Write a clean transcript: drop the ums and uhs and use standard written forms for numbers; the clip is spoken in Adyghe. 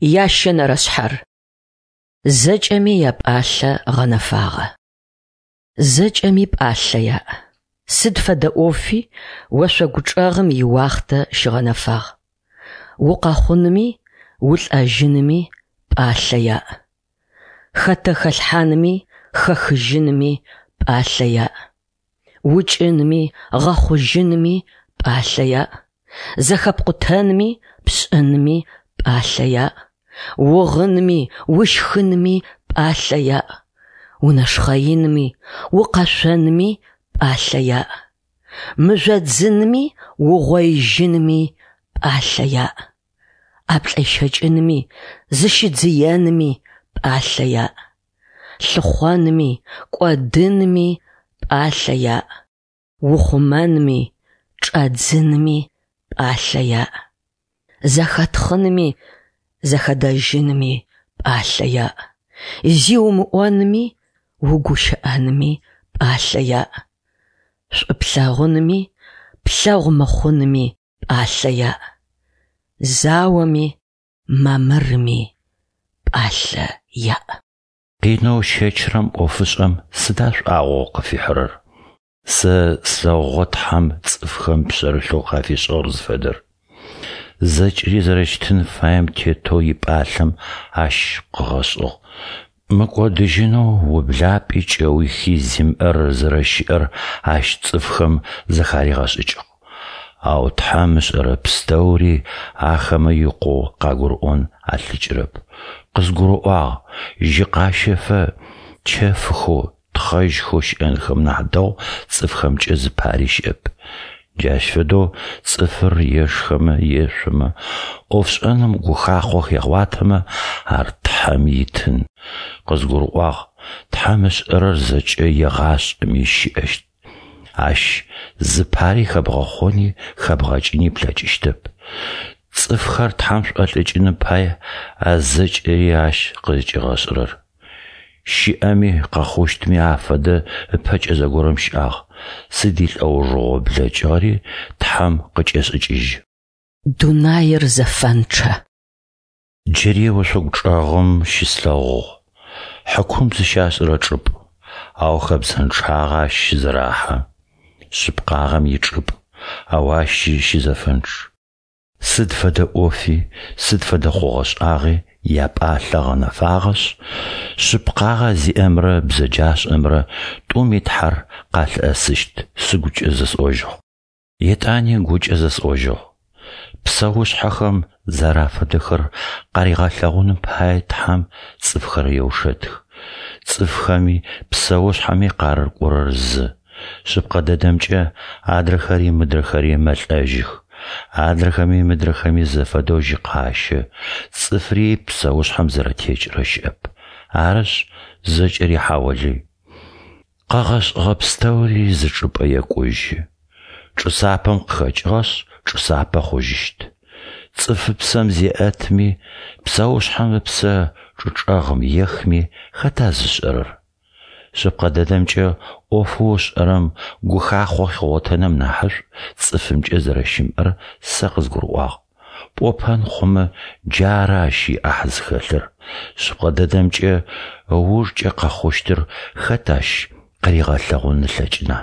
Ящэнэрэ шъхьэр. Зэкӏэми япӏалъэ гъэнэфагъэ. Зэкӏэми пӏалъэ яӏ. Сыд фэдэ ӏофи ошъогу чӏэгъым иуахътэ щыгъэнэфагъ. Укъэхъунми улӏэжьынми пӏалъэ яӏ. Хэтэ хэлъхьанми хэхыжьынми пӏалъэ яӏ. Укӏынми гъэхъужьынми пӏалъэ яӏ. Зэхэпкъутэнми пшӏынми пӏалъэ яӏ. Угъынми ущхынми пӏалъэ яӏ. Унэшхъэинми укъэшъонми пӏалъэ яӏ. Мыжъодзынми угъоижьынми пӏалъэ яӏ. ӏэплӏэщэкӏынми зыщыдзыенми пӏалъэ яӏ. Лъыхъонми кӏодынми пӏалъэ яӏ. Ухъумэнми чӏэдзынми пӏалъэ яӏ. Зэхэтхъынми зэхэдэжьынми пӏалъэ яӏ. Зи умыӏонми угущыӏэнми пӏалъэ яӏ. Шӏу плъэгъунми плъэгъу мыхъунми пӏалъэ яӏ. Заоми мамырми пӏалъэ яӏ. Къинэу ыщэчырэм ӏофышӏэм сыда шӏуагъэу къыфихьырэр? Сэ слъэгъугъэ Тхьэм цӏыфхэм пшъэрылъэу къафишӏыгъэр зыфэдэр. Зэкӏэри зэрэщытын фаем тетэу ипӏалъэм Ащ къыгъэшӏыгъ. Мыкӏодыжьынэу ублапӏи кӏэухи зимыӏэр зэрэщыӏэр Ащ цӏыфхэм зэхаригъэшӏыкӏыгъ. Ау Тхьэм ышӏэрэ пстэури ахэмэ икъоу къагурыӏон алъэкӏырэп. Къызгурыӏуагъ, жьы къащэфэ чэфхэу, тхъэжьхэу щыӏэнхэм нахь дэгъу цӏыфхэмкӏэ зыпари щыӏэп. Джащ фэдэу цӏыфыр ешхэмэ, ешъомэ, ӏофшӏэным гухахъо хегъуатэмэ, ар Тхьэм итын. Къызгурыӏуагъ, Тхьэм ышӏэрэр зэкӏэ егъашӏэми щыӏэщт. Ащ зыпари хэбгъэхъони хэбгъэкӏыни плъэкӏыщтэп. Цӏыфхэр Тхьэм шӏолӏыкӏыным пае а зэкӏэри Ащ къызкӏигъэшӏырэр. Щыӏэми къэхъущтми афэдэ ыпэкӏэ зэгорэм щыӏагъ, сыд илӏэужыгъо блэкӏыгъэри Тхьэм къыкӏешӏыкӏыжьы. Дунаир зэфэнчъэ. Джыри ошъогу чӏэгъым щыслъэгъугъ, хьыкум зыщашӏырэ чӏыпӏ, ау хэбзэнчъагъэ ащ щызэрахьэ. Шъыпкъагъэм ичӏыпӏ, ау ащи щызэфэнчъ. Сыд фэдэ ӏофи, сыд фэдэ хъугъэ-шӏагъи япӏалъэ гъэнэфагъэшъ, шъыпкъагъэ зиӏэмрэ бзэджашӏэмрэ тӏуми Тхьэр къалъыӏэсыщт сыгукӏэ зэсӏожьыгъ. Етӏани гукӏэ зэсӏожьыгъ: Псэушъхьэхэм зэрафэдэхэр къаригъэлъэгъуным пае Тхьэм цӏыфхэр еушэтых. Цӏыфхэми псэушъхьэми къарыкӏорэр зы. Шъыпкъэ дэдэмкӏэ, адрэхэри мыдрэхэри мэлӏэжьых. Адрэхэми мыдрэхэми зэфэдэу жьы къащэ, цӏыфри псэушъхьэм зэрэтекӏырэ щыӏэп. Арышъ, зэкӏэри хьаолый. Къэгъэшӏыгъэ пстэури зы чӏыпӏэ екӏужьы. Чӏы сапэм къыхэкӏыгъэшъ, чӏы сапэ хъужьыщт. Цӏыфыпсэм зеӏэтми, псэушъхьэм ыпсэ чӏы чӏэгъым ехми хэта зышӏэрэр? Шъыпкъэ дэдэмкӏэ, ӏофэу ышӏэрэм гухахъо хигъотэным нахьышӏу цӏыфымкӏэ зэрэщымыӏэр сэ къызгурыӏуагъ. Пӏопэн хъумэ, джары ащ иӏахь зыхэлъыр. Шъыпкъэ дэдэмкӏэ, ыужкӏэ къэхъущтыр хэт ащ къыригъэлъэгъун ылъэкӏына?